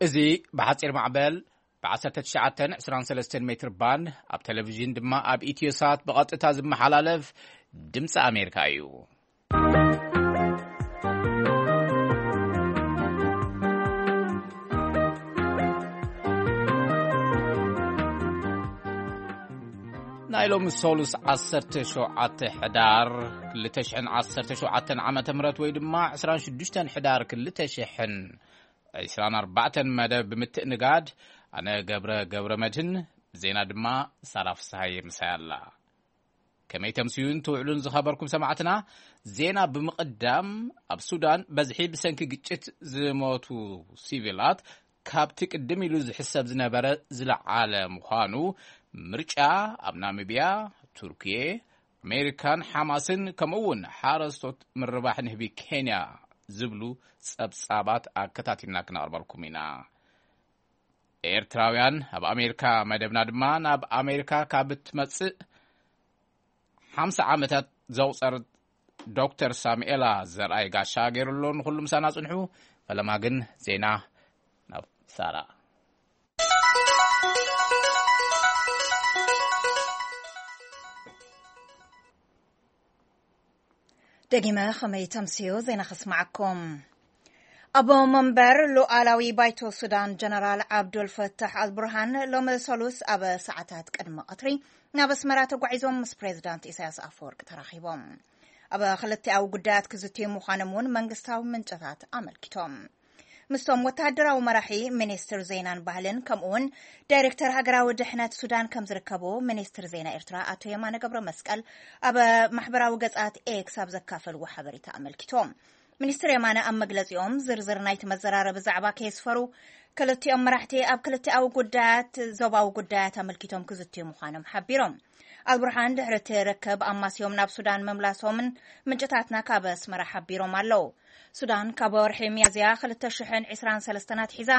እዚ ብሓጺር ማዕበል ብ19 23 ሜትር ባንድ፣ ኣብ ቴሌቪዥን ድማ ኣብ ኢትዮሳት ብቐጥታ ዝመሓላለፍ ድምፂ ኣሜሪካ እዩ። ናይ ሎሚ ሰሉስ 17 ሕዳር 2017 ዓመተ ምህረት፣ ወይ ድማ 26 ሕዳር 2024 መደብ ብምትእንጋድ፣ ኣነ ገብረ ገብረ መድህን፣ ዜና ድማ ሳራ ፍስሃየ ምሳይ ኣላ። ከመይ ተምስዩን ትውዕሉን ዝኸበርኩም ሰማዕትና? ዜና ብምቕዳም፣ ኣብ ሱዳን በዝሒ ብሰንኪ ግጭት ዝሞቱ ሲቪላት ካብቲ ቅድም ኢሉ ዝሕሰብ ዝነበረ ዝለዓለ ምዃኑ፣ ምርጫ ኣብ ናሚብያ፣ ቱርኪየ፣ ኣሜሪካን ሓማስን፣ ከምኡ እውን ሓረስቶት ምርባሕ ንህቢ ኬንያ ዝብሉ ጸብጻባት ኣከታቲልና ክነቕርበልኩም ኢና። ኤርትራውያን ኣብ ኣሜሪካ መደብና ድማ፣ ናብ ኣሜሪካ ካብ እትመጽእ ሓምሳ ዓመታት ዘቑጸር ዶክተር ሳሙኤላ ዘርኣይ ጋሻ ገይሩ ኣሎ። ንኹሉ ምሳና ጽንሑ። ፈለማ ግን ዜና ናብ ሳራ። ደጊመ ከመይ ተምስዮ ዜና ከስማዓኩም። ኣቦ መንበር ሉዓላዊ ባይቶ ሱዳን ጀነራል ዓብዱል ፈታሕ ኣልቡርሃን ሎሚ ሰሉስ ኣብ ሰዓታት ቅድሚ ቀትሪ ናብ ኣስመራ ተጓዒዞም ምስ ፕሬዝዳንት ኢሳያስ ኣፈወርቂ ተራኺቦም። ኣብ ክልቲኣዊ ጉዳያት ክዝትዩ ምዃኖም እውን መንግስታዊ ምንጭታት ኣመልኪቶም። ምስቶም ወተሃደራዊ መራሒ፣ ሚኒስትር ዜናን ባህልን፣ ከምኡውን ዳይሬክተር ሃገራዊ ድሕነት ሱዳን ከም ዝርከቡ ሚኒስትር ዜና ኤርትራ ኣቶ የማነ ገብረ መስቀል ኣብ ማሕበራዊ ገጻት ኤክስ ኣብ ዘካፈልዎ ሓበሬታ ኣመልኪቶም። ሚኒስትር የማነ ኣብ መግለጺኦም፣ ዝርዝር ናይቲ መዘራረቢ ዛዕባ ከየስፈሩ፣ ክልቲኦም መራሕቲ ኣብ ክልቲኣዊ ጉዳያት፣ ዞባዊ ጉዳያት ኣመልኪቶም ክዝትዩ ምዃኖም ሓቢሮም። ኣልቡርሃን ድሕሪ እቲ ርክብ ኣማስዮም ናብ ሱዳን ምምላሶምን ምንጭታትና ካብ ኣስመራ ሓቢሮም ኣለዉ። ሱዳን ካብ ወርሒ ሚያዝያ 2023 ኣትሒዛ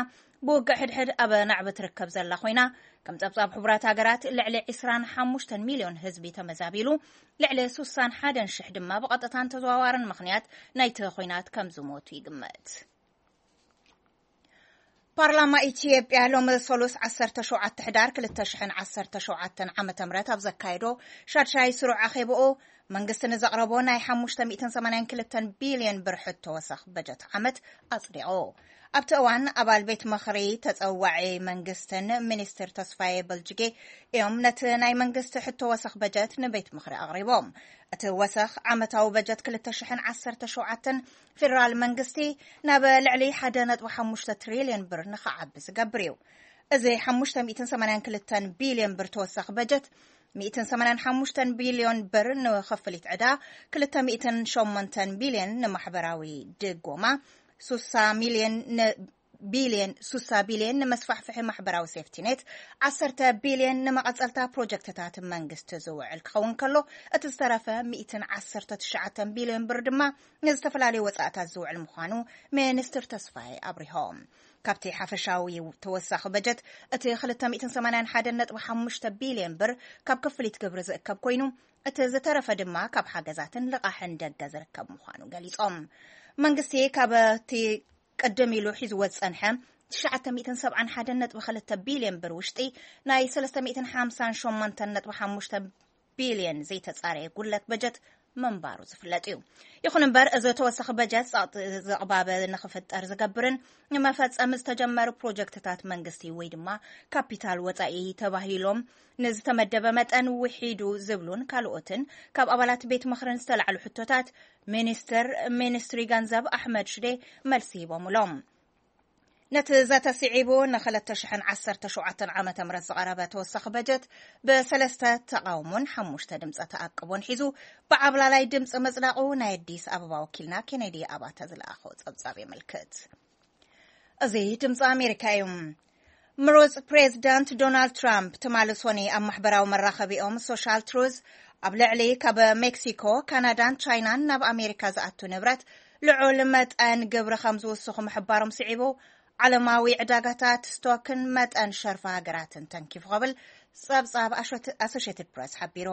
ብውግእ ሕድሕድ ኣብ ናዕቢ ትርከብ ዘላ ኮይና፣ ከም ጸብጻብ ሕቡራት ሃገራት፣ ልዕሊ 25 ሚልዮን ህዝቢ ተመዛቢሉ፣ ልዕሊ 61,000 ድማ ብቐጥታን ተዘዋዋርን ምኽንያት ናይቲ ኹናት ከም ዝሞቱ ይግመት። ፓርላማ ኢትዮጵያ ሎሚ ሰሉስ 17 ሕዳር 2017 ዓመተ ምህረት ኣብ ዘካየዶ ሻድሻይ ስሩዕ ኣኼብኡ፣ መንግስቲ ንዘቕረቦ ናይ 582 ቢልዮን ብር ሕቶ ወሰኽ በጀት ዓመት ኣጽዲቑ። ኣብቲ እዋን፣ ኣባል ቤት ምኽሪ ተጸዋዒ መንግስትን ሚኒስትር ተስፋዬ በልጅጌ እዮም ነቲ ናይ መንግስቲ ሕቶ ወሰኽ በጀት ንቤት ምኽሪ ኣቕሪቦም። እቲ ወሰኽ ዓመታዊ በጀት 2017 ፌደራል መንግስቲ ናብ ልዕሊ 1.5 ትሪልዮን ብር ንኽዓቢ ዝገብር እዩ። እዚ 582 ቢልዮን ብር ተወሳኺ በጀት፣ 185 ቢልዮን ብር ንኽፍሊት ዕዳ፣ 208 ቢልዮን ንማሕበራዊ ድጎማ፣ 60 ሚልዮን ን-፣ ቢልዮን፣ 60 ቢልዮን ንመስፋሕፍሒ ማሕበራዊ ሴፍቲኔት፣ 10 ቢልዮን ንመቐጸልታ ፕሮጀክትታት መንግስቲ ዝውዕል ክኸውን ከሎ፣ እቲ ዝተረፈ 119 ቢልዮን ብር ድማ ንዝተፈላለዩ ወጻእታት ዝውዕል ምዃኑ ሚኒስትር ተስፋዬ ኣብሪሆም። ካብቲ ሓፈሻዊ ተወሳኺ በጀት፣ እቲ 281.5 ቢልዮን ብር ካብ ክፍሊት ግብሪ ዝእከብ ኮይኑ፣ እቲ ዝተረፈ ድማ ካብ ሓገዛትን ልቓሕን ደገ ዝርከብ ምዃኑ ገሊጾም። መንግስቲ ካብ እቲ ቅድም ኢሉ ሒዝዎ ዝጸንሐ 971.2 ቢልዮን ብር ውሽጢ፣ ናይ 358.5 ቢልዮን ዘይተጻረየ ጉድለት በጀት ምንባሩ ዝፍለጥ እዩ። ይኹን እምበር፣ እዚ ተወሳኺ በጀት ጸቕጢ ዘቕባበ ንኽፍጠር ዝገብርን ንመፈጸሚ ዝተጀመሩ ፕሮጀክትታት መንግስቲ ወይ ድማ ካፒታል ወጻኢ ተባሂሎም ንዝተመደበ መጠን ውሒዱ ዝብሉን ካልኦትን ካብ ኣባላት ቤት ምኽርን ዝተላዕሉ ሕቶታት፣ ሚኒስትር ሚኒስትሪ ገንዘብ ኣሕመድ ሽዴ መልሲ ሂቦምሎም። ነቲ ዘተ ስዒቡ፣ ን2017 ዓመተ ምህረት ዝቐረበ ተወሳኺ በጀት ብሰለስተ ተቓውሞን ሓሙሽተ ድምፀ ተኣቅቦን ሒዙ ብዓብላላይ ድምፂ ምጽዳቑ ናይ ኣዲስ ኣበባ ወኪልና ኬኔዲ ኣባተ ዝለኣኾ ጸብጻብ የመልክት። እዚ ድምፂ ኣሜሪካ እዩ። ምሩፅ ፕሬዚዳንት ዶናልድ ትራምፕ ትማሊ ሶኒ ኣብ ማሕበራዊ መራኸቢኦም ሶሻል ትሩዝ፣ ኣብ ልዕሊ ካብ ሜክሲኮ፣ ካናዳን ቻይናን ናብ ኣሜሪካ ዝኣቱ ንብረት ልዑል መጠን ግብሪ ከም ዝውስኹ ምሕባሮም ስዒቡ፣ ዓለማዊ ዕዳጋታት ስቶክን መጠን ሸርፊ ሃገራትን ተንኪፉ ክብል ጸብጻብ ኣሾት-፣ ኣሶሼትድ ፕረስ ሓቢሩ።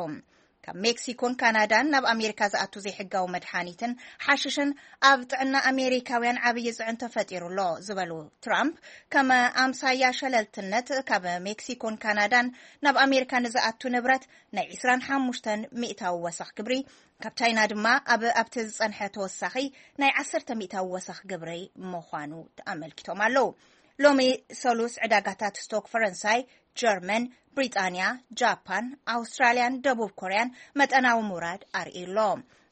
ካብ ሜክሲኮን ካናዳን ናብ ኣሜሪካ ዝኣቱ ዘይሕጋዊ መድሓኒትን ሓሽሽን ኣብ ጥዕና ኣሜሪካውያን ዓብዪ ጽዕንቶ ፈጢሩ ኣሎ ዝበሉ ትራምፕ፣ ከም ኣምሳያ ሸለልትነት ካብ ሜክሲኮን ካናዳን ናብ ኣሜሪካ ንዝኣቱ ንብረት ናይ ዕስራን ሓሙሽተን ሚእታዊ ወሰኽ ግብሪ፣ ካብ ቻይና ድማ ኣብ ኣብቲ ዝጸንሐ ተወሳኺ ናይ ዓሰርተ ሚእታዊ ወሰኽ ግብሪ ምዃኑ ኣመልኪቶም ኣለዉ። ሎሚ ሰሉስ ዕዳጋታት ስቶክ ፈረንሳይ፣ ጀርመን፣ ብሪጣንያ፣ ጃፓን፣ ኣውስትራልያን ደቡብ ኮርያን መጠናዊ ምውራድ ኣርእዩ ኣሎ።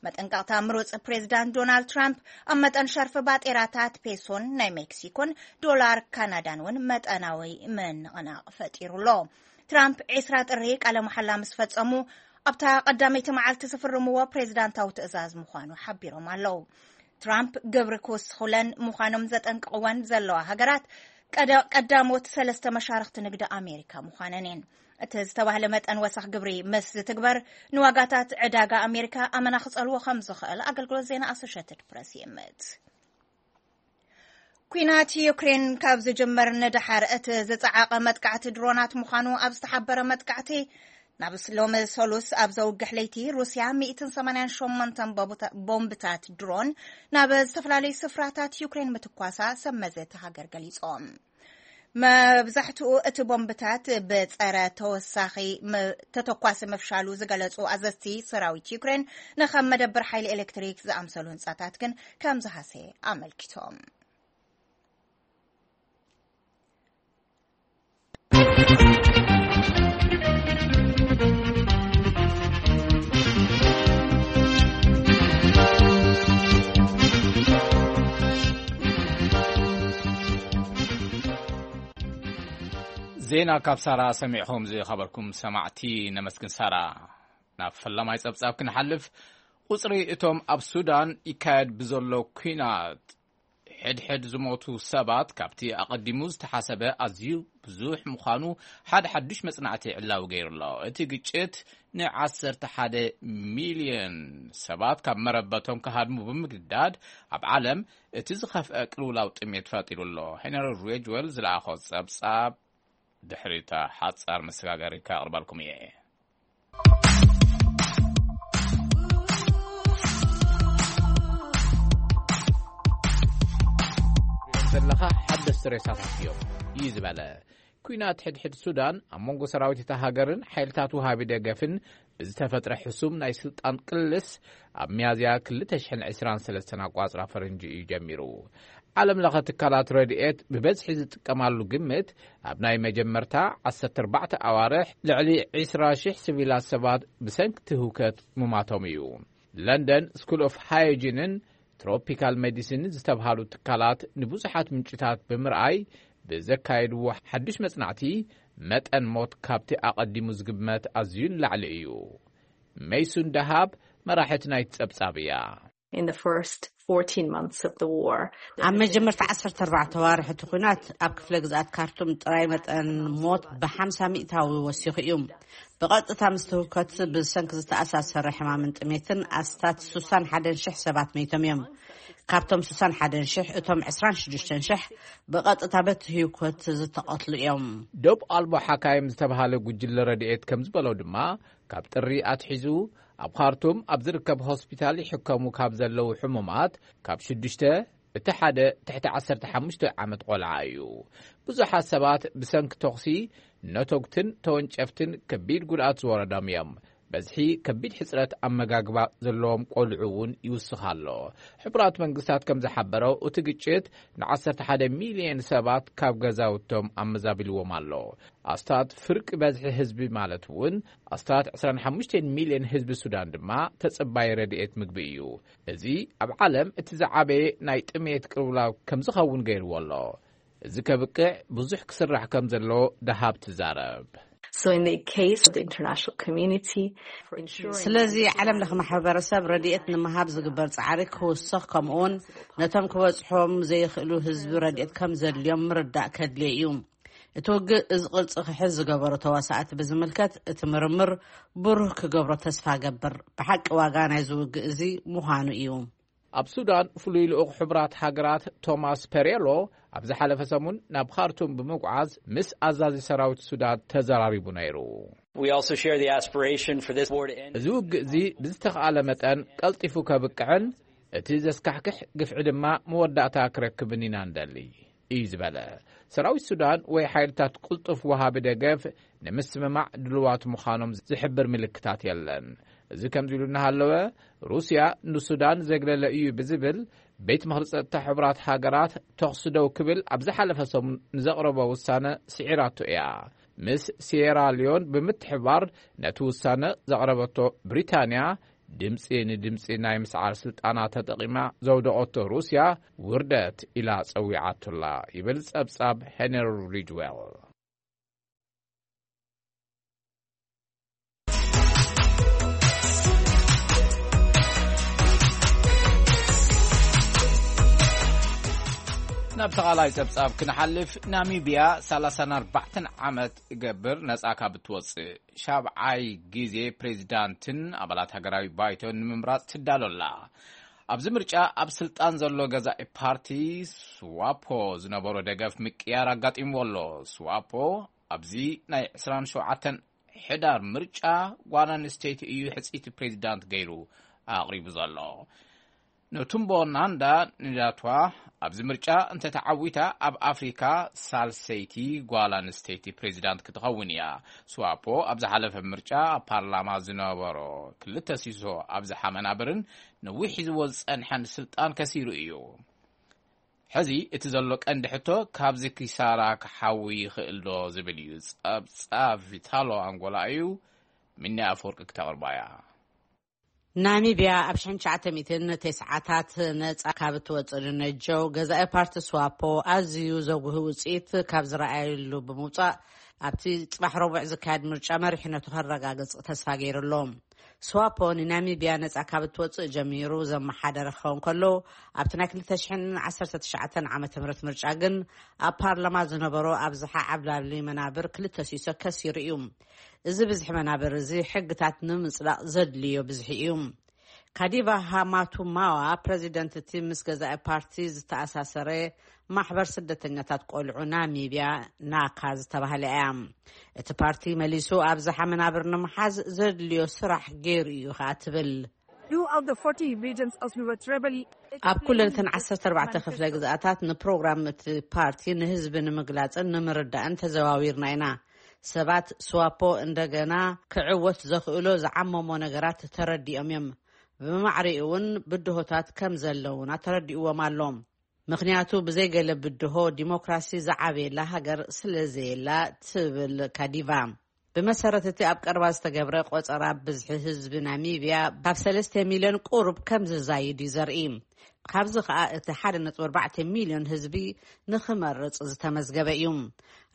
መጠንቀቕታ ምሩጽ ፕሬዚዳንት ዶናልድ ትራምፕ ኣብ መጠን ሸርፊ ባጤራታት ፔሶን ናይ ሜክሲኮን ዶላር ካናዳን እውን መጠናዊ ምንቕናቕ ፈጢሩ ኣሎ። ትራምፕ ዕስራ ጥሪ ቃለ መሓላ ምስ ፈጸሙ ኣብታ ቀዳመይቲ መዓልቲ ዝፍርምዎ ፕሬዚዳንታዊ ትእዛዝ ምዃኑ ሓቢሮም ኣለዉ። ትራምፕ ግብሪ ክውስኹለን ምዃኖም ዘጠንቅቕወን ዘለዋ ሃገራት ቀዳሞት ሰለስተ መሻርኽቲ ንግዲ ኣሜሪካ ምዃነን እየን። እቲ ዝተባህለ መጠን ወሰኽ ግብሪ ምስ ዝትግበር ንዋጋታት ዕዳጋ ኣሜሪካ ኣመና ክጸልዎ ከም ዝኽእል ኣገልግሎት ዜና ኣሶሽትድ ፕረስ ይእምት። ኲናት ዩክሬን ካብ ዝጅመር ንደሓር እቲ ዝጸዓቐ መጥቃዕቲ ድሮናት ምዃኑ ኣብ ዝተሓበረ መጥቃዕቲ፣ ናብ ሎሚ ሰሉስ ኣብ ዘውግሕ ለይቲ ሩስያ ሚእትን ሰማንያን ሸሞንተን ቦምብታት ድሮን ናብ ዝተፈላለዩ ስፍራታት ዩክሬን ምትኳሳ ሰብ መዚ እቲ ሃገር ገሊጾም። መብዛሕትኡ እቲ ቦምብታት ብጸረ ተወሳኺ ተተኳሲ ምፍሻሉ ዝገለጹ ኣዘዝቲ ሰራዊት ዩክሬን፣ ንኸም መደብር ሓይሊ ኤሌክትሪክ ዝኣምሰሉ ህንጻታት ግን ከም ዝሃሰየ ኣመልኪቶም። ዜና ካብ ሳራ ሰሚዕኹም ዝኸበርኩም ሰማዕቲ ነመስግን። ሳራ፣ ናብ ፈላማይ ጸብጻብ ክንሓልፍ፣ ቁጽሪ እቶም ኣብ ሱዳን ይካየድ ብዘሎ ኲናት ሕድሕድ ዝሞቱ ሰባት ካብቲ ኣቐዲሙ ዝተሓሰበ ኣዝዩ ብዙሕ ምዃኑ ሓደ ሓዱሽ መጽናዕቲ ዕላዊ ገይሩ ኣሎ። እቲ ግጭት ንዓሰርተ ሓደ ሚልዮን ሰባት ካብ መረበቶም ክሃድሙ ብምግዳድ፣ ኣብ ዓለም እቲ ዝኸፍአ ቅልውላው ጥሜት ፈጢሩ ኣሎ። ሄነሪ ሬጅወል ዝለኣኾ ጸብጻብ ድሕሪታ ሓጻር መሰጋገሪ ከቕርበልኩም እየ። ዘለኻ ሓደስቲ ሬሳታት እዮም እዩ ዝበለ። ኲናት ሕድሕድ ሱዳን ኣብ መንጎ ሰራዊት እታ ሃገርን ሓይልታት ውሃቢ ደገፍን ብዝተፈጥረ ሕሱም ናይ ስልጣን ቅልስ ኣብ ሚያዝያ ክልተ ሽሕን ዕስራን ሰለስተን ኣቋጽራ ፈረንጂ እዩ ጀሚሩ። ዓለም ለኸ ትካላት ረድኤት ብበዝሒ ዝጥቀማሉ ግምት፣ ኣብ ናይ መጀመርታ ዓሰርተ ኣርባዕተ ኣዋርሕ ልዕሊ ዕስራ ሽሕ ሲቪላት ሰባት ብሰንኪ እቲ ህውከት ምማቶም እዩ። ለንደን ስኩል ኦፍ ሃይጂንን ትሮፒካል ሜዲሲን ዝተብሃሉ ትካላት ንብዙሓት ምንጭታት ብምርኣይ ብዘካየድዎ ሓዱሽ መጽናዕቲ፣ መጠን ሞት ካብቲ ኣቐዲሙ ዝግመት ኣዝዩ ንላዕሊ እዩ። ሜይሱን ደሃብ መራሒት ናይቲ ጸብጻብ እያ። In the first fourteen months of the war, ኣብ መጀመርታ ዓሰርተ ኣርባዕተ ኣዋርሕ እቲ ኲናት ኣብ ክፍለ ግዝኣት ካርቱም ጥራይ መጠን ሞት ብ ሓምሳ ሚእታዊ ወሲኹ እዩ። ብቐጥታ ምስቲ ህውከት ብሰንኪ ዝተኣሳሰረ ሕማምን ጥሜትን ኣስታት ስሳን ሓደን ሽሕ ሰባት መይቶም እዮም። ካብቶም ስሳን ሓደን ሽሕ፣ እቶም ዕስራን ሽዱሽተን ሽሕ ብቐጥታ በቲ ህውከት ዝተቐትሉ እዮም። ዶብ ኣልቦ ሓካይም ዝተባሃለ ጉጅለ ረድኤት ከም ዝበሎ ድማ፣ ካብ ጥሪ ኣትሒዙ ኣብ ካርቱም ኣብ ዝርከብ ሆስፒታል ይሕከሙ ካብ ዘለዉ ሕሙማት ካብ ሽዱሽተ፣ እቲ ሓደ ትሕቲ ዓሰርተ ሓሙሽተ ዓመት ቆልዓ እዩ። ብዙሓት ሰባት ብሰንኪ ተኹሲ ነተጉትን ተወንጨፍትን ከቢድ ጉድኣት ዝወረዶም እዮም። በዝሒ ከቢድ ሕጽረት ኣመጋግባ ዘለዎም ቆልዑ እውን ይውስኽ ኣሎ። ሕቡራት መንግስታት ከም ዝሓበሮ፣ እቲ ግጭት ንዓሰርተ ሓደ ሚልዮን ሰባት ካብ ገዛውቶም ኣመዛቢልዎም ኣሎ። ኣስታት ፍርቂ በዝሒ ህዝቢ፣ ማለት እውን ኣስታት ዕስራን ሓሙሽተን ሚልዮን ህዝቢ ሱዳን ድማ ተጸባይ ረድኤት ምግቢ እዩ። እዚ ኣብ ዓለም እቲ ዝዓበየ ናይ ጥሜት ቅልውላው ከም ዝኸውን ገይርዎ ኣሎ። እዚ ከብቅዕ ብዙሕ ክስራሕ ከም ዘሎ ደሃብ ትዛረብ። So in the case of the international community, for ensuring ስለዚ ዓለም ለኸ ማሕበረሰብ ረድኤት ንምሃብ ዝግበር ጻዕሪ ክውስኽ፣ ከምኡውን ነቶም ክበጽሖም ዘይኽእሉ ህዝቢ ረድኤት ከም ዘድልዮም ምርዳእ ከድልዮ እዩ። እቲ ውግእ እዚ ቅርጺ ክሕዝ ዝገበሩ ተዋሳእቲ ብዝምልከት እቲ ምርምር ብሩህ ክገብሮ ተስፋ ገብር። ብሓቂ ዋጋ ናይዚ ውግእ እዚ ምዃኑ እዩ። ኣብ ሱዳን ፍሉይ ልኡኽ ሕቡራት ሃገራት ቶማስ ፔሬሎ ኣብ ዝሓለፈ ሰሙን ናብ ካርቱም ብምጉዓዝ ምስ ኣዛዚ ሰራዊት ሱዳን ተዘራሪቡ ነይሩ። We also share the aspiration for this war to end. እዚ ውግእ እዚ ብዝተኻእለ መጠን ቀልጢፉ ከብቅዕን እቲ ዘስካሕክሕ ግፍዒ ድማ መወዳእታ ክረክብን ኢና ንደሊ እዩ ዝበለ። ሰራዊት ሱዳን ወይ ሓይልታት ቅልጡፍ ወሃቢ ደገፍ ንምስምማዕ ድልዋት ምዃኖም ዝሕብር ምልክታት የለን። እዚ ከምዚ ኢሉ እናሃለወ፣ ሩስያ ንሱዳን ዘግለለ እዩ ብዝብል ቤት ምኽሪ ጸጥታ ሕቡራት ሃገራት ተኹሲ ደው ክብል ኣብ ዝሓለፈ ሰሙን ንዘቕረቦ ውሳነ ስዒራቶ እያ። ምስ ሲየራ ሊዮን ብምትሕባር ነቲ ውሳነ ዘቕረበቶ ብሪታንያ፣ ድምጺ ንድምጺ ናይ ምስዓር ስልጣና ተጠቒማ ዘውደቐቶ ሩስያ ውርደት ኢላ ጸዊዓቶላ ይብል ጸብጻብ ሄነሪ ሪጅዌል። ናብ ተቓላይ ጸብጻብ ክንሓልፍ፣ ናሚብያ ሰላሳን ኣርባዕተን ዓመት ገብር ነጻ ካብ እትወጽእ ሻብዓይ ግዜ ፕሬዚዳንትን ኣባላት ሃገራዊ ባይቶን ንምምራጽ ትዳሎ ኣላ። ኣብዚ ምርጫ ኣብ ስልጣን ዘሎ ገዛኢ ፓርቲ ስዋፖ ዝነበሮ ደገፍ ምቅያር ኣጋጢምዎ ኣሎ። ስዋፖ ኣብዚ ናይ ዕስራን ሸውዓተን ሕዳር ምርጫ ጓል ኣንስተይቲ እዩ ሕጽይቲ ፕሬዚዳንት ገይሩ ኣቕሪቡ ዘሎ። ነቱምቦ ናንዳ ንዳትዋ ኣብዚ ምርጫ እንተተዓዊታ ኣብ ኣፍሪካ ሳልሰይቲ ጓል ኣንስተይቲ ፕሬዚዳንት ክትኸውን እያ። ስዋፖ ኣብ ዝሓለፈ ምርጫ ኣብ ፓርላማ ዝነበሮ ክልተ ሲሶ ኣብዝሓ መናብርን ነዊሕ ሒዝዎ ዝጸንሐን ስልጣን ከሲሩ እዩ። ሕዚ እቲ ዘሎ ቀንዲ ሕቶ ካብዚ ኪሳራ ክሓዊ ይኽእል ዶ ዝብል እዩ። ጸብጻብ ቪታሎ ኣንጎላ እዩ። ሚኒ ኣፈወርቂ ክተቕርባ እያ። ናሚብያ ኣብ ሽሕን ትሽዓተ ሚእትን ተስዓታት ነጻ ካብ እትወጽእ ንነጀው ገዛኢ ፓርቲ ስዋፖ ኣዝዩ ዘጉህ ውጽኢት ካብ ዝረኣየሉ ብምውጻእ ኣብቲ ጽባሕ ረቡዕ ዝካየድ ምርጫ መሪሕነቱ ከረጋግጽ ተስፋ ገይሩ ኣሎ። ስዋፖ ንናሚብያ ነጻ ካብ እትወጽእ ጀሚሩ ዘመሓደረ ክኸውን ከሎ ኣብቲ ናይ ክልተ ሽሕን ዓሰርተ ትሽዓተን ዓመተ ምህረት ምርጫ ግን ኣብ ፓርላማ ዝነበሮ ኣብዝሓ ዓብላሊ መናብር ክልተ ሲሶ ከሲሩ እዩ። እዚ ብዝሒ መናብር እዚ ሕግታት ንምጽዳቕ ዘድልዮ ብዝሒ እዩ። ካዲቫ ሃማቱማዋ ፕረዚደንት እቲ ምስ ገዛኢ ፓርቲ ዝተኣሳሰረ ማሕበር ስደተኛታት ቆልዑ ናሚብያ ናካ ዝተባህለ እያ። እቲ ፓርቲ መሊሱ ኣብዝሓ መናብር ንምሓዝ ዘድልዮ ስራሕ ገይሩ እዩ ከኣ ትብል። Throughout the forty regions as we were traveling, ኣብ ኩለን እተን ዓሰርተ ኣርባዕተ ክፍለ ግዝኣታት ንፕሮግራም እቲ ፓርቲ ንህዝቢ ንምግላጽን ንምርዳእን ተዘዋዊርና ኢና። ሰባት ስዋፖ እንደገና ክዕወት ዘኽእሎ ዝዓመሞ ነገራት ተረዲኦም እዮም። ብማዕሪኡ እውን ብድሆታት ከም ዘለውና ተረዲእዎም ኣሎ። ምኽንያቱ ብዘይገለ ብድሆ ዲሞክራሲ ዝዓበየላ ሃገር ስለ ዘየላ ትብል ካዲቫ። ብመሰረት እቲ ኣብ ቀረባ ዝተገብረ ቆጸራ ብዝሒ ህዝቢ ናሚብያ ካብ ሰለስተ ሚልዮን ቁሩብ ከም ዝዛይድ እዩ ዘርኢ። ካብዚ ከኣ እቲ ሓደ ነጥቢ ኣርባዕተ ሚልዮን ህዝቢ ንኽመርጽ ዝተመዝገበ እዩ።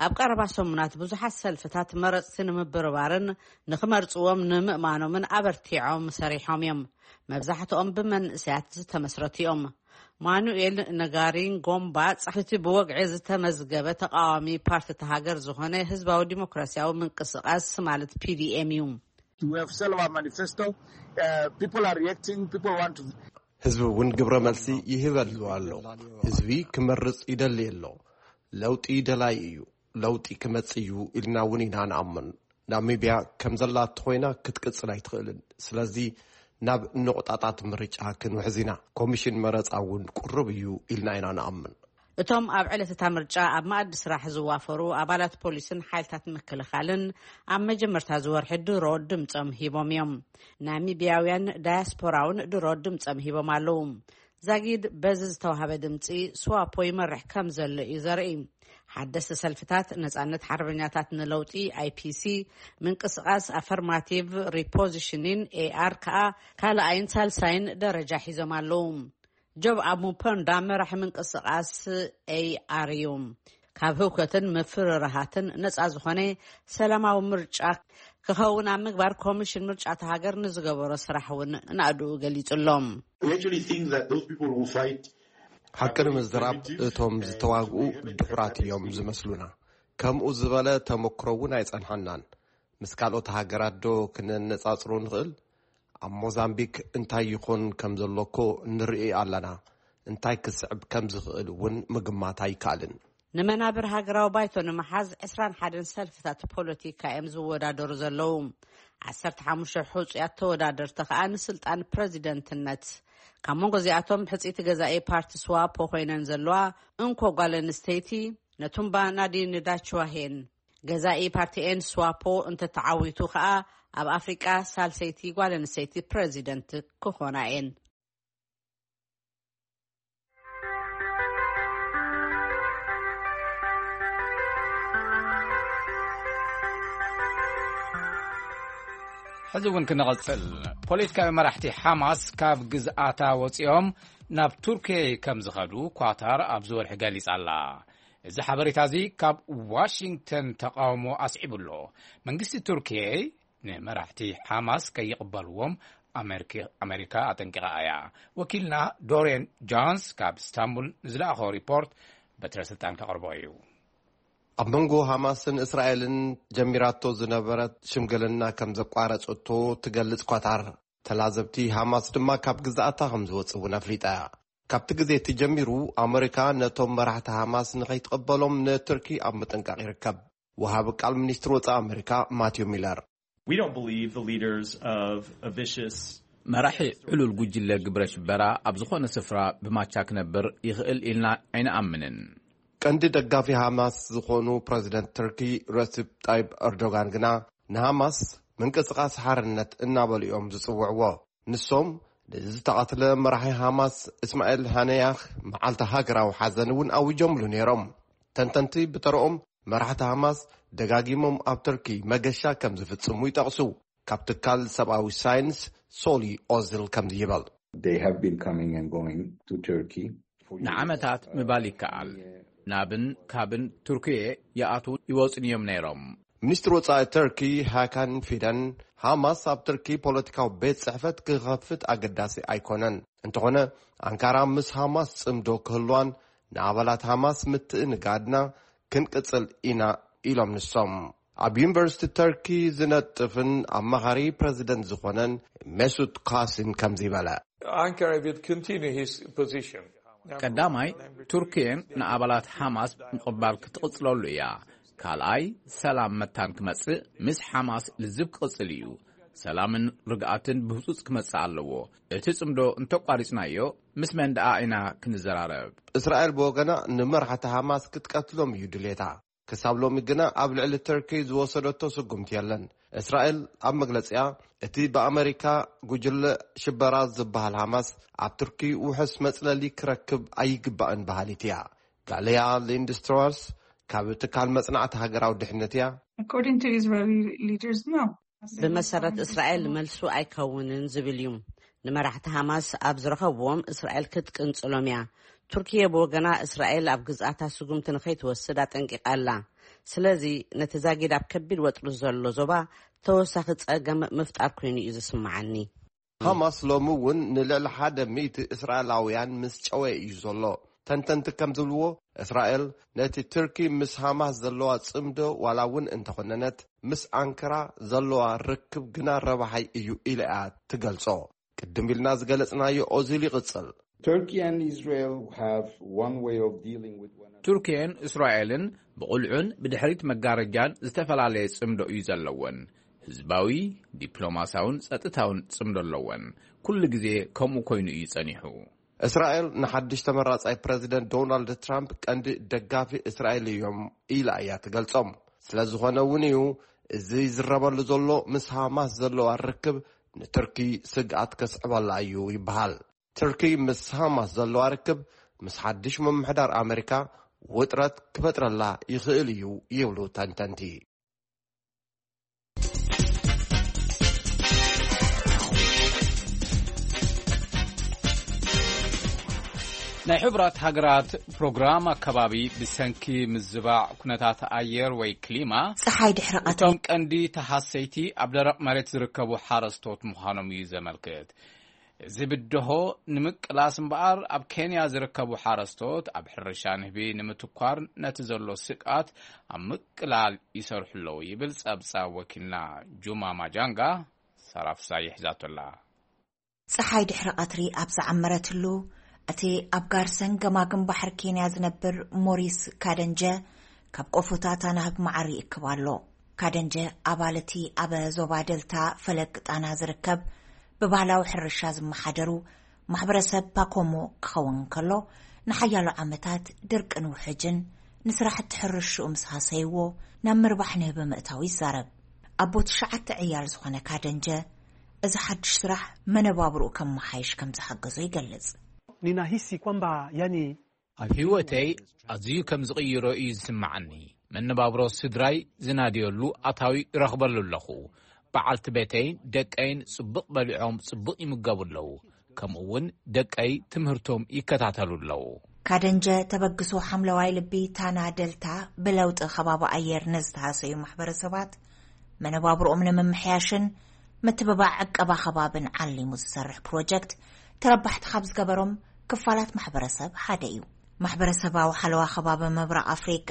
ኣብ ቀረባ ሰሙናት ብዙሓት ሰልፍታት መረጽቲ ንምብርባርን ንኽመርጽዎም ንምእማኖምን ኣበርቲዖም ሰሪሖም እዮም። መብዛሕትኦም ብመንእሰያት ዝተመስረቱ እዮም። ማኑኤል ነጋሪንጎምባ ጻሕፍቲ ብወግዒ ዝተመዝገበ ተቃዋሚ ፓርቲ እታ ሃገር ዝኾነ ህዝባዊ ዲሞክራሲያዊ ምንቅስቃስ ማለት ፒ ዲ ኤም እዩ። We have Salva manifesto. Uh, people are reacting. People want to. ህዝቢ እውን ግብረ መልሲ ይህበሉ ኣሎ። ህዝቢ ክመርጽ ይደሊ ኣሎ። ለውጢ ደላይ እዩ። ለውጢ ክመጽእ እዩ ኢልና እውን ኢና ንኣምን። ናሚብያ ከም ዘላ እንተኾይና ክትቅጽል ኣይትኽእልን። ስለዚ ናብ ንቑጣጣት ምርጫ ክንውሕዝ ኢና። ኮሚሽን መረጻ እውን ቅሩብ እዩ ኢልና ኢና ንኣምን። እቶም ኣብ ዕለት እታ ምርጫ ኣብ መኣዲ ስራሕ ዝዋፈሩ ኣባላት ፖሊስን ሓይልታት ምክልኻልን ኣብ መጀመርታ ዝወርሒ ድሮ ድምጾም ሂቦም እዮም። ናሚብያውያን ዳያስፖራውን ድሮ ድምጾም ሂቦም ኣለዉ። ዛጊድ በዚ ዝተዋህበ ድምጺ ስዋፖ ይመርሕ ከም ዘሎ እዩ ዘርኢ። ሓደስቲ ሰልፍታት ነጻነት ሓርበኛታት ንለውጢ፣ ኣይ ፒ ሲ፣ ምንቅስቃስ ኣፈርማቲቭ ሪፖዚሽኒን፣ ኤ ኣር፣ ከኣ ካልኣይን ሳልሳይን ደረጃ ሒዞም ኣለዉ። ጆብ ኣሙፐንዳ መራሒ ምንቅስቃስ ኤ ኣር እዩ። ካብ ህውከትን ምፍርራሃትን ነጻ ዝኾነ ሰላማዊ ምርጫ ክኸውን ኣብ ምግባር ኮሚሽን ምርጫ እታ ሃገር ንዝገበሮ ስራሕ እውን ናእድኡ ገሊጹ ኣሎ። We actually think that those people who fight ሓቂ ንምዝራብ እቶም ዝተዋግኡ ድሑራት እዮም ዝመስሉና። ከምኡ ዝበለ ተመክሮ እውን ኣይጸንሐናን። ምስ ካልኦት ሃገራት ዶ ክነነጻጽሮ ንኽእል? ኣብ ሞዛምቢክ እንታይ ይኾን ከም ዘሎ እኮ ንርኢ ኣለና። እንታይ ክስዕብ ከም ዝኽእል እውን ምግማት ኣይከኣልን። ንመናብር ሃገራዊ ባይቶ ንምሓዝ ዕስራን ሓደን ሰልፍታት ፖለቲካ እዮም ዝወዳደሩ ዘለዉ። ዓሰርተ ሓሙሽተ ሕጹያት ተወዳደርቲ ከኣ ንስልጣን ፕረዚደንትነት። ካብ መንጎ እዚኣቶም ሕጽይቲ ገዛኢ ፓርቲ ስዋፖ ኮይነን ዘለዋ እንኮ ጓል ኣንስተይቲ ነቱምባ ናዲን ዳችዋሄን። ገዛኢ ፓርቲ ኤን ስዋፖ እንተተዓዊቱ ከኣ ኣብ ኣፍሪቃ ሳልሰይቲ ጓል ኣንስተይቲ ፕረዚደንት ክኾና እየን። ሕዚ እውን ክንቐጽል። ፖለቲካዊ መራሕቲ ሓማስ ካብ ግዝኣታ ወጺኦም ናብ ቱርኪ ከም ዝኸዱ ኳታር ኣብዚ ወርሒ ገሊጻ ኣላ። እዚ ሓበሬታ እዚ ካብ ዋሽንግተን ተቃውሞ ኣስዒቡ ኣሎ። መንግስቲ ቱርኪ ንመራሕቲ ሓማስ ከይቕበልዎም ኣመሪካ ኣጠንቂቓ እያ። ወኪልና ዶሬን ጆንስ ካብ ስታንቡል ንዝለኣኾ ሪፖርት በትረ ስልጣን ከቕርቦ እዩ። ኣብ መንጎ ሃማስን እስራኤልን ጀሚራቶ ዝነበረት ሽምግልና ከም ዘቋረጸቶ ትገልጽ ኳታር፣ ተላዘብቲ ሃማስ ድማ ካብ ግዛኣታ ከም ዝወጽእ እውን ኣፍሊጣ እያ። ካብቲ ግዜ እቲ ጀሚሩ ኣመሪካ ነቶም መራሕቲ ሃማስ ንኸይትቕበሎም ንቱርኪ ኣብ ምጥንቃቕ ይርከብ። ወሃቢ ቃል ሚኒስትሪ ወጻኢ ኣመሪካ ማቲዮ ሚለር፣ We don't believe the leaders of a vicious መራሒ ዕሉል ጉጅለ ግብረ ሽበራ ኣብ ዝኾነ ስፍራ ብማቻ ክነብር ይኽእል ኢልና ኣይንኣምንን። ቀንዲ ደጋፊ ሃማስ ዝኾኑ ፕረዚደንት ቱርኪ ረሲፕ ጣይብ ኤርዶጋን ግና ንሃማስ ምንቅስቓስ ሓርነት እናበሉ እዮም ዝጽውዕዎ። ንሶም ንዝተቐትለ መራሒ ሃማስ እስማኤል ሃነያህ መዓልቲ ሃገራዊ ሓዘን እውን ኣዊጆምሉ ነይሮም። ተንተንቲ ብተረኦም መራሕቲ ሃማስ ደጋጊሞም ኣብ ቱርኪ መገሻ ከም ዝፍጽሙ ይጠቕሱ። ካብ ትካል ሰብኣዊ ሳይንስ ሶሊ ኦዝል ከምዚ ይበል። They have been coming and going to Turkey. ንዓመታት ምባል ይከኣል። ናብን ካብን ቱርክየ ይኣትዉ ይወጹን እዮም ነይሮም። ሚኒስትሪ ወጻኢ ተርኪ ሃካን ፊደን፣ ሃማስ ኣብ ተርኪ ፖለቲካዊ ቤት ጽሕፈት ክኸፍት ኣገዳሲ ኣይኮነን። እንተኾነ፣ ኣንካራ ምስ ሃማስ ጽምዶ ክህልዋን ንኣባላት ሃማስ ምትእንጋድና ክንቅጽል ኢና ኢሎም ንሶም። ኣብ ዩኒቨርሲቲ ተርኪ ዝነጥፍን ኣማኻሪ ፕረዚደንት ዝኾነን ሜሱት ካሲን ከምዚ በለ። Ankara will continue his position. ቀዳማይ፣ ቱርክየን ንኣባላት ሓማስ ምቕባል ክትቕጽለሉ እያ። ካልኣይ፣ ሰላም መታን ክመጽእ ምስ ሓማስ ልዝብ ክቕጽል እዩ። ሰላምን ርግኣትን ብህጹጽ ክመጽእ ኣለዎ። እቲ ጽምዶ እንተቋሪጽናዮ ምስ መን ደኣ ኢና ክንዘራረብ? እስራኤል ብወገና ንመራሕቲ ሓማስ ክትቀትሎም እዩ ድሌታ። ክሳብ ሎሚ ግና ኣብ ልዕሊ ተርኪ ዝወሰደቶ ስጉምቲ የለን። እስራኤል ኣብ መግለጺኣ፣ እቲ ብኣመሪካ ጉጅለ ሽበራ ዝበሃል ሃማስ ኣብ ቱርኪ ውሑስ መጽለሊ ክረክብ ኣይግባእን በሃሊት እያ። ጋሊያ ሊንድስትሮስ ካብ ትካል መጽናዕቲ ሃገራዊ ድሕነት እያ። According to Israeli leaders, no. ብመሰረት እስራኤል መልሱ ኣይከውንን ዝብል እዩ። ንመራሕቲ ሃማስ ኣብ ዝረኸብዎም እስራኤል ክትቅንጽሎም እያ። ቱርኪየ ብወገና እስራኤል ኣብ ግዝኣታ ስጉምቲ ንኸይትወስድ ኣጠንቂቓ ኣላ። ስለዚ ነቲ ዛጊድ ኣብ ከቢድ ወጥሪ ዘሎ ዞባ ተወሳኺ ጸገም ምፍጣር ኮይኑ እዩ ዝስምዓኒ። ሃማስ ሎሚ እውን ንልዕሊ ሓደ ሚእቲ እስራኤላውያን ምስ ጨወየ እዩ ዘሎ። ተንተንቲ ከም ዝብልዎ፣ እስራኤል ነቲ ቱርኪ ምስ ሃማስ ዘለዋ ጽምዶ ዋላ እውን እንተኾነነት፣ ምስ ኣንካራ ዘለዋ ርክብ ግና ረባሓይ እዩ ኢላ እያ ትገልጾ። ቅድም ኢልና ዝገለጽናዮ ኦዚል ይቕጽል። Turkey and Israel have one way of dealing with one another. ቱርክየን እስራኤልን ብቑልዑን ብድሕሪት መጋረጃን ዝተፈላለየ ጽምዶ እዩ ዘለወን። ህዝባዊ፣ ዲፕሎማስያውን ጸጥታውን ጽምዶ ኣለወን። ኩሉ ግዜ ከምኡ ኮይኑ እዩ ጸኒሑ። እስራኤል ንሓድሽ ተመራጻይ ፕረዚደንት ዶናልድ ትራምፕ ቀንዲ ደጋፊ እስራኤል እዮም ኢላ እያ ትገልጾም። ስለ ዝኾነ እውን እዩ እዚ ዝረበሉ ዘሎ ምስ ሃማስ ዘለዋ ርክብ ንቱርኪ ስግኣት ከስዕበላ እዩ ይበሃል። ቱርኪ ምስ ሃማስ ዘለዋ ርክብ ምስ ሓድሽ ምምሕዳር ኣመሪካ ውጥረት ክፈጥረላ ይኽእል እዩ ይብሉ ተንተንቲ። ናይ ሕቡራት ሃገራት ፕሮግራም ኣከባቢ ብሰንኪ ምዝባዕ ኩነታት ኣየር ወይ ክሊማ፣ ጸሓይ ድሕሪ ቀትሪ እቶም ቀንዲ ተሃሰይቲ ኣብ ደረቕ መሬት ዝርከቡ ሓረስቶት ምዃኖም እዩ ዘመልክት። እዚ ብድሆ ንምቅላስ እምበኣር፣ ኣብ ኬንያ ዝርከቡ ሓረስቶት ኣብ ሕርሻ ንህቢ ንምትኳር ነቲ ዘሎ ስግኣት ኣብ ምቅላል ይሰርሑ ኣለዉ ይብል ጸብጻብ ወኪልና ጁማ ማጃንጋ። ሳራ ፍሳይ ሒዛቶ ኣላ። ጸሓይ ድሕሪ ቀትሪ ኣብ ዝዓመረትሉ፣ እቲ ኣብ ጋርሰን ገማግም ባሕሪ ኬንያ ዝነብር ሞሪስ ካደንጀ ካብ ቆፎታት ኣናህብ መዓር ይእክብ ኣሎ። ካደንጀ ኣባል እቲ ኣብ ዞባ ደልታ ፈለግ ጣና ዝርከብ ብባህላዊ ሕርሻ ዝመሓደሩ ማሕበረሰብ ፓኮሞ ክኸውን እንከሎ፣ ንሓያሎ ዓመታት ድርቅን ውሕጅን ንስራሕቲ ሕርሽኡ ምስ ሃሰይዎ፣ ናብ ምርባሕ ንህቢ ምእታው ይዛረብ። ኣቦ ትሽዓተ ዕያል ዝኾነ ካደንጀ፣ እዚ ሓድሽ ስራሕ መነባብርኡ ከመሓይሽ ከም ዝሓገዞ ይገልጽ። Ninahisi kwamba yani ኣብ ህይወተይ ኣዝዩ ከም ዝቕይሮ እዩ ዝስምዓኒ። መነባብሮ ስድራይ ዝናድየሉ ኣታዊ ይረኽበሉ ኣለኹ። በዓልቲ ቤተይን ደቀይን ጽቡቕ በሊዖም ጽቡቕ ይምገቡ ኣለዉ። ከምኡ እውን ደቀይ ትምህርቶም ይከታተሉ ኣለዉ። ካደንጀ ተበግሶ ሓምለዋይ ልቢ ታና ደልታ ብለውጢ ከባቢ ኣየር ንዝተሃሰዩ ማሕበረሰባት መነባብርኦም ንምምሕያሽን ምትብባዕ ዕቀባ ከባብን ዓሊሙ ዝሰርሕ ፕሮጀክት ተረባሕቲ ካብ ዝገበሮም ክፋላት ማሕበረሰብ ሓደ እዩ። ማሕበረሰባዊ ሓለዋ ከባቢ ምብራቕ ኣፍሪቃ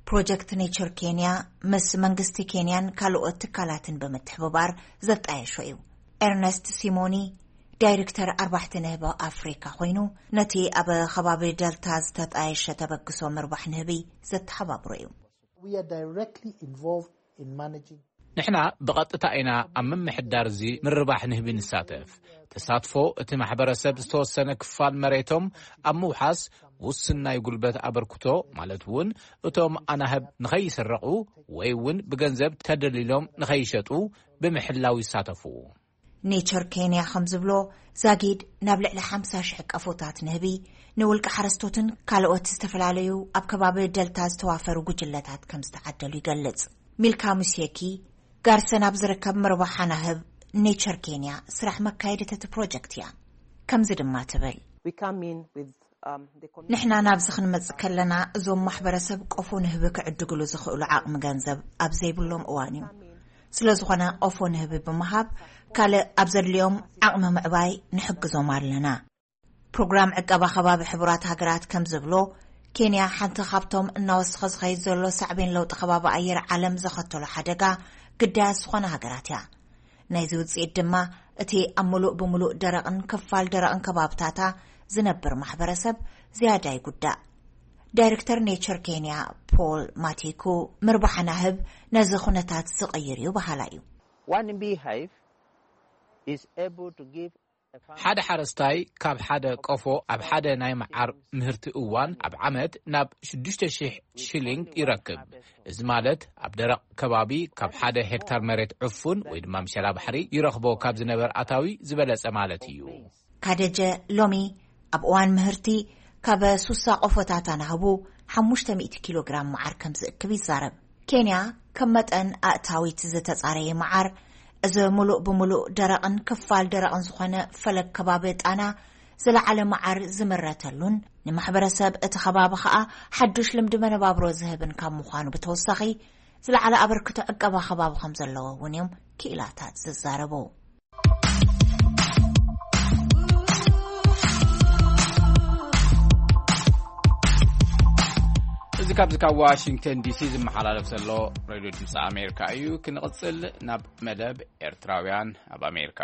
ፕሮጀክት ኔቸር ኬንያ ምስ መንግስቲ ኬንያን ካልኦት ትካላትን ብምትሕብባር ዘጣየሾ እዩ። ኤርነስት ሲሞኒ ዳይሬክተር ኣርባሕቲ ንህቢ ኣፍሪካ ኮይኑ፣ ነቲ ኣብ ከባቢ ደልታ ዝተጣየሸ ተበግሶ ምርባሕ ንህቢ ዘተሓባብሮ እዩ። We are directly involved in managing. ንሕና ብቐጥታ ኢና ኣብ ምምሕዳር እዚ ምርባሕ ንህቢ ንሳተፍ። ተሳትፎ እቲ ማሕበረሰብ ዝተወሰነ ክፋል መሬቶም ኣብ ምውሓስ ውሱን ናይ ጉልበት ኣበርክቶ፣ ማለት እውን እቶም ኣናህብ ንኸይስረቑ ወይ እውን ብገንዘብ ተደሊሎም ንኸይሸጡ ብምሕላው ይሳተፉ። ኔቸር ኬንያ ከም ዝብሎ፣ ዛጊድ ናብ ልዕሊ ሓምሳ ሽሕ ቀፎታት ንህቢ፣ ንውልቂ ሓረስቶትን ካልኦት ዝተፈላለዩ ኣብ ከባቢ ደልታ ዝተዋፈሩ ጉጅለታት ከም ዝተዓደሉ ይገልጽ። ሚልካ ሙሴኪ ጋርሰን ኣብ ዝርከብ ምርባሕ ኣናህብ ኔቸር ኬንያ ስራሕ መካየዲት እቲ ፕሮጀክት እያ። ከምዚ ድማ ትብል። We come in with um, the community. ንሕና ናብዚ ክንመጽእ ከለና፣ እዞም ማሕበረሰብ ቆፎ ንህቢ ክዕድግሉ ዝኽእሉ ዓቕሚ ገንዘብ ኣብ ዘይብሎም እዋን እዩ። ስለ ዝኾነ ቆፎ ንህቢ ብምሃብ ካልእ ኣብ ዘድልዮም ዓቕሚ ምዕባይ ንሕግዞም ኣለና። ፕሮግራም ዕቀባ ከባቢ ሕቡራት ሃገራት ከም ዝብሎ፣ ኬንያ ሓንቲ ካብቶም እናወሰኸ ዝኸይድ ዘሎ ሳዕቤን ለውጢ ከባቢ ኣየር ዓለም ዘኸተሎ ሓደጋ ግዳያት ዝኾነ ሃገራት እያ። ናይዚ ውጽኢት ድማ እቲ ኣብ ምሉእ ብምሉእ ደረቕን ክፋል ደረቕን ከባብታታ ዝነብር ማሕበረሰብ ዝያዳ ይጉዳእ። ዳይሬክተር ኔቸር ኬንያ ፖል ማቲኩ፣ ምርባሕ ኣናህብ ነዚ ኩነታት ዝቕይር እዩ በሃላይ እዩ። One beehive is able to give a farmer ሓደ ሓረስታይ ካብ ሓደ ቆፎ ኣብ ሓደ ናይ መዓር ምህርቲ እዋን ኣብ ዓመት ናብ ሽዱሽተ ሽሕ ሽሊንግ ይረክብ። እዚ ማለት ኣብ ደረቕ ከባቢ ካብ ሓደ ሄክታር መሬት ዕፉን ወይ ድማ ምሸላ ባሕሪ ይረኽቦ ካብ ዝነበር ኣታዊ ዝበለጸ ማለት እዩ። ካደጀ ሎሚ ኣብ እዋን ምህርቲ ካብ ሱሳ ቆፎታት ኣናህቡ ሓሙሽተ ሚእቲ ኪሎ ግራም መዓር ከም ዝእክብ ይዛረብ። ኬንያ ከም መጠን ኣእታዊት ዝተጻረየ መዓር፣ እዚ ምሉእ ብምሉእ ደረቕን ክፋል ደረቕን ዝኾነ ፈለግ ከባቢ ጣና ዝለዓለ መዓር ዝምረተሉን ንማሕበረሰብ እቲ ከባቢ ኸኣ ሓዱሽ ልምዲ መነባብሮ ዝህብን ካብ ምዃኑ ብተወሳኺ ዝለዓለ ኣበርክቶ ዕቀባ ከባቢ ከም ዘለዎ እውን እዮም ክኢላታት ዝዛረቡ። እዚ ካብዚ ካብ ዋሽንግተን ዲሲ ዝመሓላለፍ ዘሎ ሬድዮ ድምፂ ኣሜሪካ እዩ። ክንቕፅል ናብ መደብ ኤርትራውያን ኣብ ኣሜሪካ።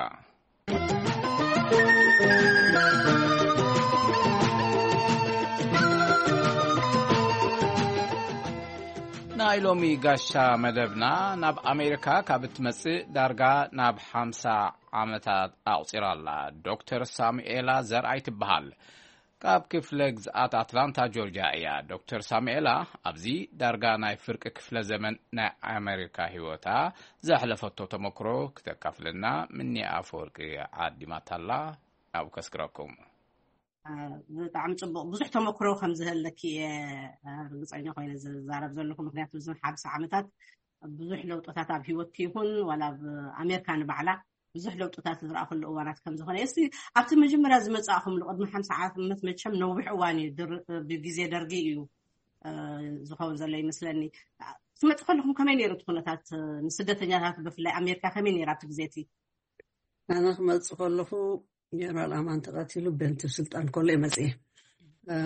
ናይ ሎሚ ጋሻ መደብና ናብ ኣሜሪካ ካብ እትመጽእ ዳርጋ ናብ ሓምሳ ዓመታት ኣቑጺራ ኣላ። ዶክተር ሳሙኤላ ዘርኣይ ትበሃል። ካብ ክፍለ ግዝኣት ኣትላንታ ጆርጅያ እያ። ዶክተር ሳሙኤላ ኣብዚ ዳርጋ ናይ ፍርቂ ክፍለ ዘመን ናይ ኣሜሪካ ህይወታ ዘሕለፈቶ ተመክሮ ክተካፍለና ምኒ ኣፈወርቂ ዓዲማታላ። ናብኡ ከስግረኩም። ብጣዕሚ ጽቡቕ፣ ብዙሕ ተመክሮ ከም ዝህለኪ እየ ርግጸኛ ኮይነ ዝዛረብ ዘለኹ። ምክንያቱ እዞም ሓምሳ ዓመታት ብዙሕ ለውጥታት ኣብ ህይወትኪ ይኹን ዋላ ኣብ ኣሜሪካ ንባዕላ ብዙሕ ለውጥታት ዝረኣኹሉ እዋናት ከም ዝኾነ። እስቲ ኣብቲ መጀመርያ ዝመጻእኹምሉ ቅድሚ ሓምሳ ዓመት፣ መቸም ነዊሕ እዋን እዩ፣ ድር-፣ ብግዜ ደርጊ እዩ፣ እ፣ ዝኸውን ዘሎ ይመስለኒ። ትመጽእ ከለኹም ከመይ ነይሩ እቲ ኩነታት፣ እ፣ ንስደተኛታት ብፍላይ ኣሜሪካ ከመይ ነይራ ኣብቲ ግዜ እቲ? ኣነ ክመጽእ ከለኹ ጀነራል ኣማን ተቐቲሉ፣ ቤንቱ ስልጣን ከሎ እየ መጽየ። እ፣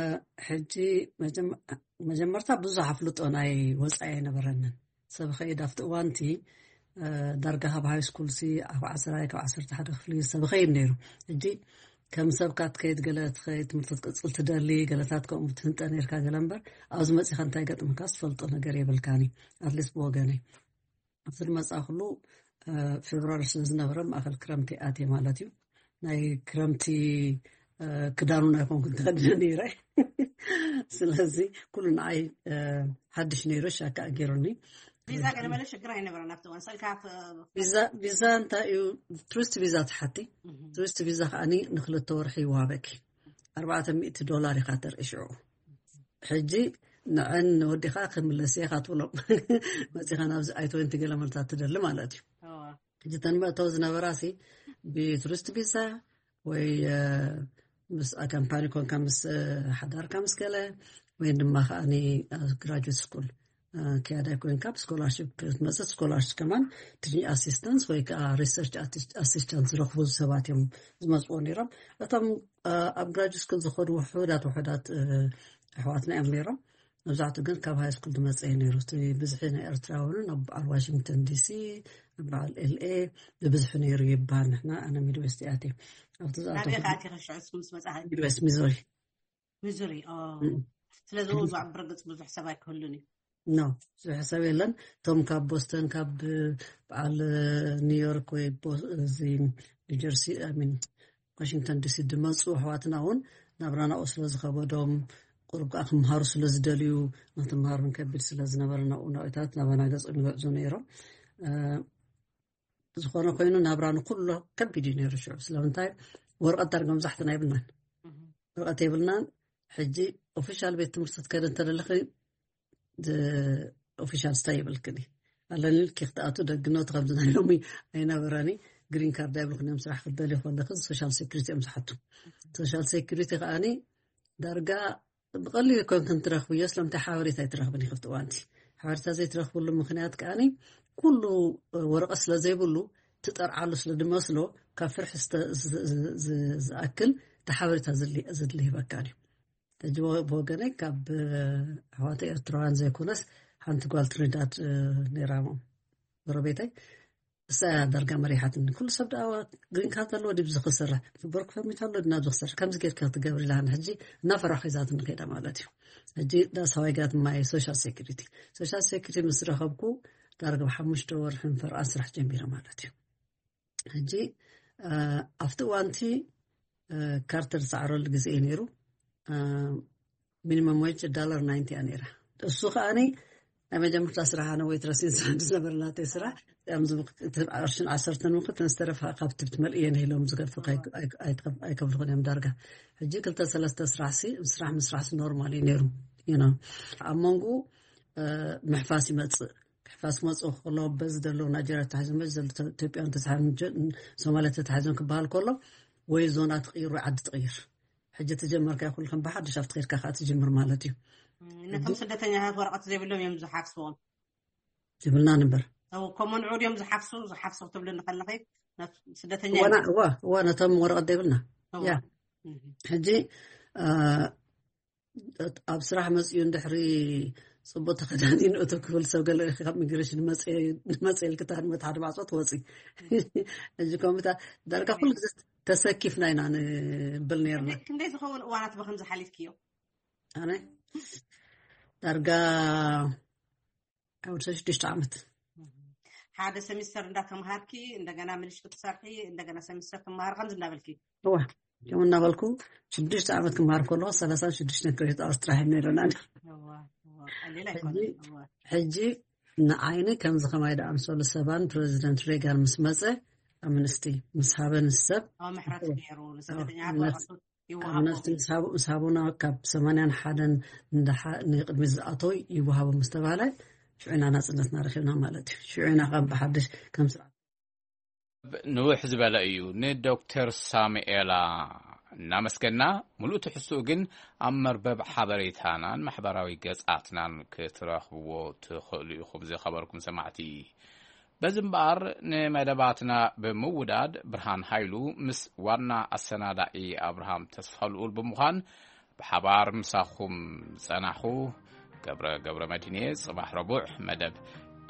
ሕጂ መጀመ-፣ መጀመርታ ብዙሕ ኣፍልጦ ናይ ወጻኢ ኣይነበረንን። ሰብ ከይድ ኣብቲ እዋንቲ ዳርጋ ካብ ሃይ ስኩል ሲ ኣብ ዓስራይ ካብ ዓሰርተ ሓደ ክፍሊ ሰብ ኸይድ ነይሩ። ሕጂ ከም ሰብካ ትከይድ፣ ገለ ትኸይድ ትምህርቲ ትቅፅል ትደሊ፣ ገለታት ከምኡ ትህንጠ ነርካ። ገለ እምበር ኣብዚ መፂኻ እንታይ ገጥምካ ዝፈልጦ ነገር የብልካኒ። ኣትሊስት ብወገነይ ኣብቲ ዝመፃ ኩሉ ፌብራሪ ስለ ዝነበረ ማእከል ክረምቲ ኣትየ ማለት እዩ። ናይ ክረምቲ ክዳኑ ናይ ኮንኩ ተኸዲነ ነይረ። ስለዚ ኩሉ ንዓይ ሓድሽ ነይሩ፣ ሻካ ኣገይሩኒ። ቪዛ ገለመለ ሽግር ኣይነበረን ኣብቲ እዋን። ሰልካ ቪዛ እንታይ እዩ? ቱሪስት ቪዛ ትሓቲ። ቱሪስት ቪዛ ከዓኒ ንክልተ ወርሒ ይዋበኪ። ኣርባዕተ ሚእቲ ዶላር ኢኻ ተርኢ ሽዑ። ሕጂ ንዐን ወዲኻ ክምለስ ኢኻ ትብሎም። መፂኻ ናብዚ ኣይ ትወንቲ ገለ መልታት ትደሊ ማለት እዩ። ሕጂ ተን መእተው ዝነበራ ሲ ብቱሪስት ቪዛ ወይ ምስ ካምፓኒ ኮንካ ምስ ሓዳርካ ምስ ገለ ወይ ድማ ከዓኒ ግራጁዌት ስኩል ክያዳይ ኮይንካ ብስኮላርሽፕ ክትመፅእ፣ ስኮላርሽፕ ከማን ቲችንግ ኣሲስተንስ ወይ ከዓ ሪሰርች ኣሲስተንስ ዝረኽቡ ሰባት እዮም ዝመፅዎ ነይሮም። እቶም ኣብ ግራጁዌት ስኩል ዝኸዱ ውሑዳት ውሑዳት ኣሕዋትና እዮም ነይሮም። መብዛሕትኡ ግን ካብ ሃይ ስኩል ዝመፀ እዩ ነይሩ። እቲ ብዝሒ ናይ ኤርትራውያንን ኣብ በዓል ዋሽንግተን ዲሲ፣ ኣብ በዓል ኤልኤ ብብዝሒ ነይሩ ይበሃል። ንሕና ኣነ ሚድዌስት እያ እትየ ኣብቲ ናበይ ዝኣተኹ ከኣቲ ከሽዑ እስኩም ዝመጻ ሚድዌስት ሚዙሪ። ሚዙሪ። ኦ። ስለዚ እዛ ብርግጽ ብዙሕ ሰብ ኣይክህሉን እዩ። ኖ፣ ብዙሕ ሰብ የለን። እቶም ካብ ቦስተን፣ ካብ በዓል ኒውዮርክ ወይ ቦ- እዚ ኒውጀርሲ ሚን ዋሽንግተን ዲሲ ዝመፁ ኣሕዋትና እውን ናብራ ናብኡ ስለ ዝኸበዶም፣ ቁሩብ ከዓ ክምሃሩ ስለ ዝደልዩ፣ ንክትምሃር እውን ከቢድ ስለ ዝነበረ ናብኡ ናብታት ናባና ገፆም ይግዕዙ ነይሮም። ዝኾነ ኮይኑ ናብራ ንኩሎ ከቢድ እዩ ነይሩ ሽዑ። ስለምንታይ? ወረቐት ዳርጋ መብዛሕትና የብልናን። ወረቐት የብልናን። ሕጂ ኦፊሻል ቤት ትምህርቲ ክትከደ እንተደለኺ ኦፊሻል ስታይ ይብልክኒ ኣለኒ። ልኪ ክትኣቱ ደግኖት ከምዚ ናይ ሎሚ ኣይነበረኒ። ግሪን ካርድ ኣይብልክን እዮም። ስራሕ ክትደልዩ ከለኺ ሶሻል ሴኩሪቲ እዮም ዝሓቱ። ሶሻል ሴኩሪቲ ከዓኒ ዳርጋ ብቐሊል ኮንክን ትረኽብዮ። ስለምንታይ ሓበሬታ ኣይትረኽብን ኢኺ ኣብቲ እዋንቲ? ሓበሬታ ዘይትረኽብሉ ምኽንያት ከዓኒ ኩሉ ወረቐት ስለ ዘይብሉ ትጠርዓሉ ስለ ዝመስሎ ካብ ፍርሒ ዝኣክል እቲ ሓበሬታ ዘድሊ ይህበካ እዩ። ሕጂ ብወገነይ ካብ ኣሕዋተ ኤርትራውያን ዘይኮነስ ሓንቲ ጓል ትሪዳድ ነይራ ጎረቤተይ፣ እሳ ዳርጋ መሪሓትኒ። ኩሉ ሰብ ደኣ ግሪን ካርድ ኣለዎ ድዩ ዝክሰርሕ፣ ብወርክ ፐርሚት ኣሎ ድዩ ናብዚ ክሰርሕ፣ ከምዚ ጌርካ ክትገብሪ ኢላኒ። ሕጂ እናፈራኹ ሒዛትኒ ከይዳ ማለት እዩ። ሕጂ that's how I got my social security። ሶሻል ሴኩሪቲ ምስ ረኸብኩ ዳርጋ ብሓሙሽተ ወርሕን ፈርቓን ስራሕ ጀሚረ ማለት እዩ። ሕጂ ኣብቲ እዋንቲ ካርተር ዝሰዓረሉ ግዜ እዩ ነይሩ። ሚኒመም ዌጅ ዳላር ናይንቲ እያ ነይራ። እሱ ከዓኒ ናይ መጀመርታ ስራሕ ኣነ ዌይትረስ ኢንስታንት ዝነበረ ናተይ ስራሕ ቅርሽን ዓሰርተን ምክትን ዝተረፈ ካብቲ ብትመልእየን ኢሎም ዝገድፉ ኣይከፍልኹን እዮም ዳርጋ። ሕጂ ክልተ ሰለስተ ስራሕ ሲ ስራሕ ምስራሕ ሲ ኖርማል እዩ ነይሩ። ኣብ መንጎ ምሕፋስ ይመፅእ። ክሕፋስ ክመፅእ ከሎ በዚ ዘለዉ ናይጀርያ ተታሒዞም በዚ ዘለዉ ኢትዮጵያን ተታሒዞም ሶማልያ ተታሒዞም ክበሃል ከሎ ወይ ዞና ትቕይር ወይ ዓዲ ትቕይር። ሕጂ ተጀመርካ ይኹን ከም ብሓድሽ ኣብቲ ከድካ ከዓ ትጅምር ማለት እዩ። ነቶም ስደተኛታት ወረቐት ዘይብሎም እዮም ዝሓፍስዎም። ዝብልና ንበር ከምኡ ንዑ ድዮም ዝሓፍሱ ዝሓፍሱ ክትብልኒ ከለኺ ስደተኛ እዋ ነቶም ወረቐት ዘይብልና ያ ሕጂ ኣብ ስራሕ መፅኡ እንድሕሪ ፅቡቅ ተኸዳኒኑ እቶ ክብል ሰብ ገለ ካብ ሚግሬሽን መፀ ኢልክታ ንመት ሓደ ማዕፆ ትወፂ። እዚ ኮምታ ዳርጋ ኩሉ ግዜ ተሰኪፍና ኢና ንብል ነርና። ክንደይ ዝኸውን እዋናት ብከምዚ ሓሊፍክዮ? ኣነ ዳርጋ ካብ ወዲ ሽዱሽተ ዓመት ሓደ ሰሚስተር እንዳተምሃርኪ እንደገና ምልሽ ክትሰርሒ እንደገና ሰሚስተር ትምሃሪ ከምዚ እንዳበልኪ እዋ ከምኡ እናበልኩ ሽዱሽተ ዓመት ክምሃር ከለኹ ሰላሳ ሽዱሽተ ክሬዲት ኣወርስ ጥራሕ ነይረና። ሕጂ ንዓይኒ ከምዚ ከማይ ደኣምሰሉ ሰባን ፕረዚደንት ሬጋን ምስ መፀ ኣምንስቲ ምስ ሃበን ሰብ ምሕረት ነይሩ ንስደተኛ ኣምነስቲ ምስ ሃቡና ካብ ሰማንያን ሓደን ንቅድሚ ዝኣተው ይወሃቦ ምስ ተባሃለ ሽዑና ናፅነትና ረኪብና ማለት እዩ። ሽዑና ከም ብሓድሽ ከም ስርዓት ንውሕ ዝበለ እዩ። ንዶክተር ሳሙኤላ እናመስገና፣ ሙሉእ ትሕዝትኡ ግን ኣብ መርበብ ሓበሬታናን ማሕበራዊ ገጻትናን ክትረኽብዎ ትኽእሉ ኢኹም። ዝኸበርኩም ሰማዕቲ፣ በዚ እምበኣር ንመደባትና ብምውዳድ ብርሃን ሃይሉ ምስ ዋና ኣሰናዳኢ ኣብርሃም ተስፋልኡል ብምዃን ብሓባር ምሳኹም ዝጸናኹ ገብረ ገብረ መድህንየ። ጽባሕ ረቡዕ መደብ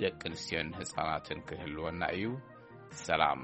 ደቂ ኣንስትዮን ህፃናትን ክህልወና እዩ። ሰላም።